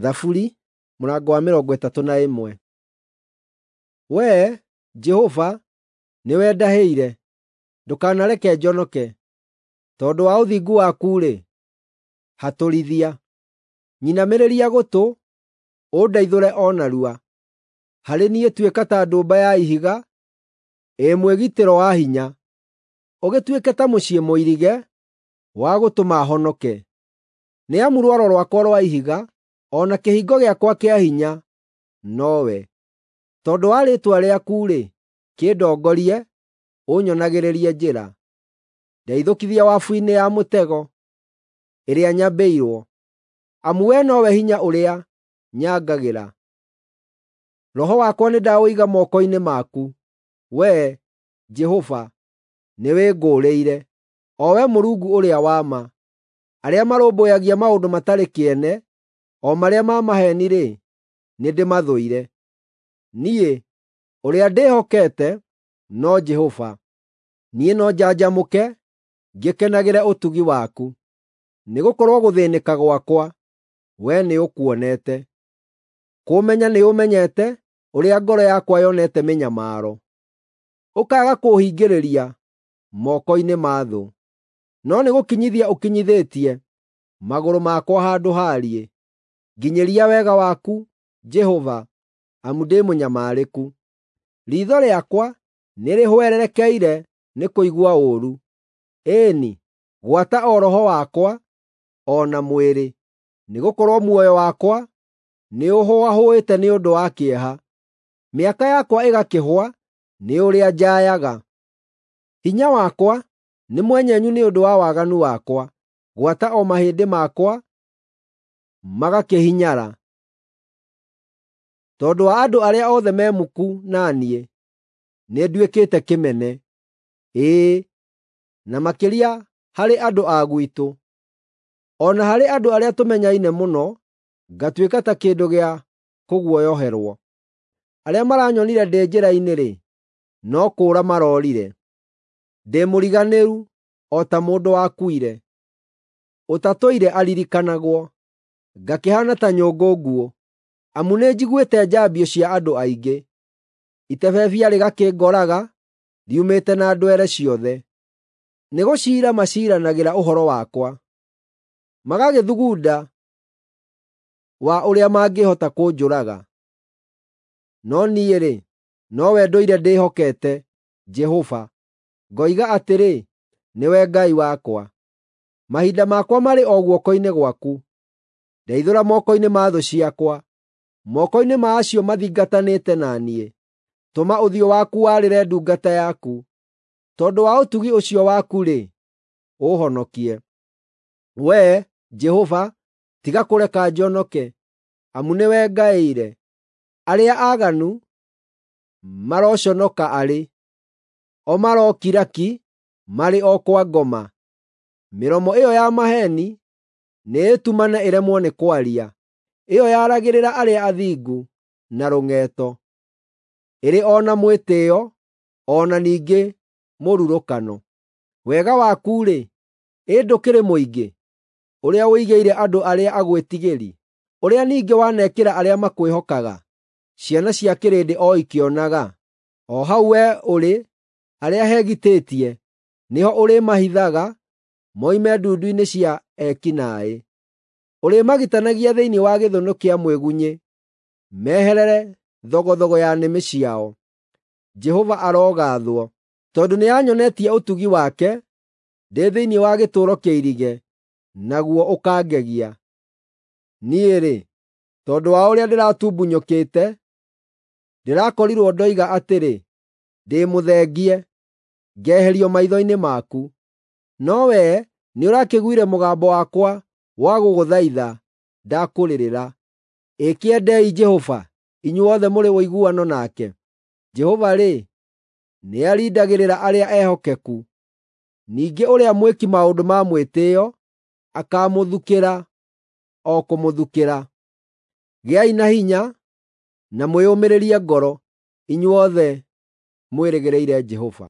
Thaburi mũrango wa 31. Wee, Jehova, nĩwe ndahĩire, ndũkanareke njonoke. Tondũ wa ũthingu waku-rĩ, hatũrithia. Nyinamĩrĩria gũtũ, ũndeithũre o narua. Harĩ niĩ tuĩka ta ndũmba ya ihiga, ĩ mwĩgitĩro wa hinya, ũgĩtuĩke ta mũciĩ mũirige wa gũtũma honoke. Nĩ amu rwaro rwakwa rwa ihiga, o na kĩhingo gĩakwa kĩa hinya nowe. Tondũ wa rĩĩtwa rĩaku-rĩ, kĩndongorie, ũnyonagĩrĩrie njĩra. Ndeithũkithia wabu-inĩ ya mũtego ĩrĩa nyambĩirwo, amu wee nowe hinya ũrĩa nyangagĩra. Roho wakwa nĩndaũiga moko-inĩ maku; Wee, Jehova, nĩwĩngũũrĩire, o Wee Mũrungu ũrĩa wa ma. Arĩa marũmbũyagia maũndũ matarĩ kĩene, o marĩa ma maheeni-rĩ, nĩndĩmathũire. Niĩ, ũrĩa ndĩhokete no Jehova; niĩ no njanjamũke ngĩkenagĩre ũtugi waku. Nĩgũkorwo gũthĩĩnĩka gwakwa, wee nĩũkuonete; kũũmenya nĩũmenyete ũrĩa ngoro yakwa yonete mĩnyamaro. Ũkaaga kũũhingĩrĩria moko-inĩ ma thũ, no nĩgũkinyithia ũkinyithĩtie magũrũ makwa handũ haariĩ. Nginyĩria wega waku, Jehova, amu ndĩ mũnyamarĩku. Riitho rĩakwa nĩrĩhwererekeire nĩ kũigua ũũru, ĩĩ-ni, gwata o roho wakwa o na mwĩrĩ, nĩgũkorwo muoyo wakwa nĩũhũahũĩte nĩ ũndũ wa kĩeha, mĩaka yakwa ĩgakĩhũa nĩ ũrĩa njaayaga. Hinya wakwa nĩ mwenyenyu nĩ ũndũ wa waganu wakwa, gwata o mahĩndĩ makwa magakĩhinyara. Tondũ wa andũ arĩa othe me muku na niĩ, nĩnduĩkĩte kĩmene, ĩĩ, na makĩria harĩ andũ a gwitũ. O na harĩ andũ arĩa tũmenyaine mũno, ngatuĩka ta kĩndũ gĩa kũguoyoherwo. Arĩa maranyonire ndĩ njĩra-inĩ-rĩ, no kũũra maroorire. Ndĩ mũriganĩru o ta mũndũ wakuire, ũtatũire aririkanagwo, ngakĩhaana ta nyũngũ nguũ. Amu nĩnjiguĩte njambio cia andũ aingĩ, itebebia rĩgakĩngoraga riumĩte na ndwere ciothe. Nĩgũciira maciiranagĩra ũhoro wakwa, magagĩthugunda wa ũrĩa mangĩhota kũnjũraga. No niĩ-rĩ, nowe ndũire ndĩhokete, Jehova, ngoiga atĩrĩ, “Nĩwe Ngai wakwa.” Mahinda makwa marĩ o guoko-inĩ gwaku; ndeithũra moko-inĩ ma thũ ciakwa, moko-inĩ ma acio mathingatanĩte na niĩ. Tũma ũthiũ waku warĩre ndungata yaku; tondũ wa ũtugi ũcio waku-rĩ, ũũhonokie. Wee, Jehova, tiga kũreka njonoke, amu nĩwe ngaĩire. Arĩa aaganu maroconoka arĩ, o marokira ki marĩ o kwa ngoma. Mĩromo ĩyo ya maheeni nĩĩtumane ĩremwo nĩ kwaria, ĩyo yaragĩrĩra arĩa athingu na rũng'eeto, ĩrĩ o na mwĩtĩĩo o na ningĩ mũrurũkano. Wega waku-rĩ, ĩ ndũkĩrĩ mũingĩ, ũrĩa ũigĩire andũ arĩa agwĩtigĩri, ũrĩa ningĩ wanekĩra arĩa makwĩhokaga, ciana cia kĩrĩndĩ o ikĩonaga. O hau wee ũrĩ, harĩa hegitĩtie, nĩho ũrĩmahithaga moime ndundu-inĩ cia eki naaĩ. Ũrĩmagitanagia thĩinĩ wa gĩthũnũ kĩa mwĩgunyĩ, meherere thogothogo ya nĩmĩ ciao. Jehova arogaathwo, tondũ nĩanyonetie ũtugi wake ndĩ thĩinĩ wa gĩtũũro kĩirige, naguo ũkangegia. Niĩ-rĩ, tondũ wa ũrĩa ndĩratumbunyũkĩte, ndĩrakorirwo ndoiga atĩrĩ, “Ndĩ mũthengie, ngeherio maitho-inĩ maku.” No wee nĩũrakĩiguire mũgambo wakwa wa gũgũthaitha ndakũrĩrĩra. Ĩ kĩendei Jehova, inyuothe mũrĩ ũiguano nake. Jehova-rĩ, nĩarindagĩrĩra arĩa ehokeku, ningĩ ũrĩa mwĩki maũndũ ma mwĩtĩĩo akaamũthukĩra o kũmũthukĩra. Gĩai na hinya na mwĩyũmĩrĩrie ngoro, inyuothe mwĩrĩgĩrĩire Jehova.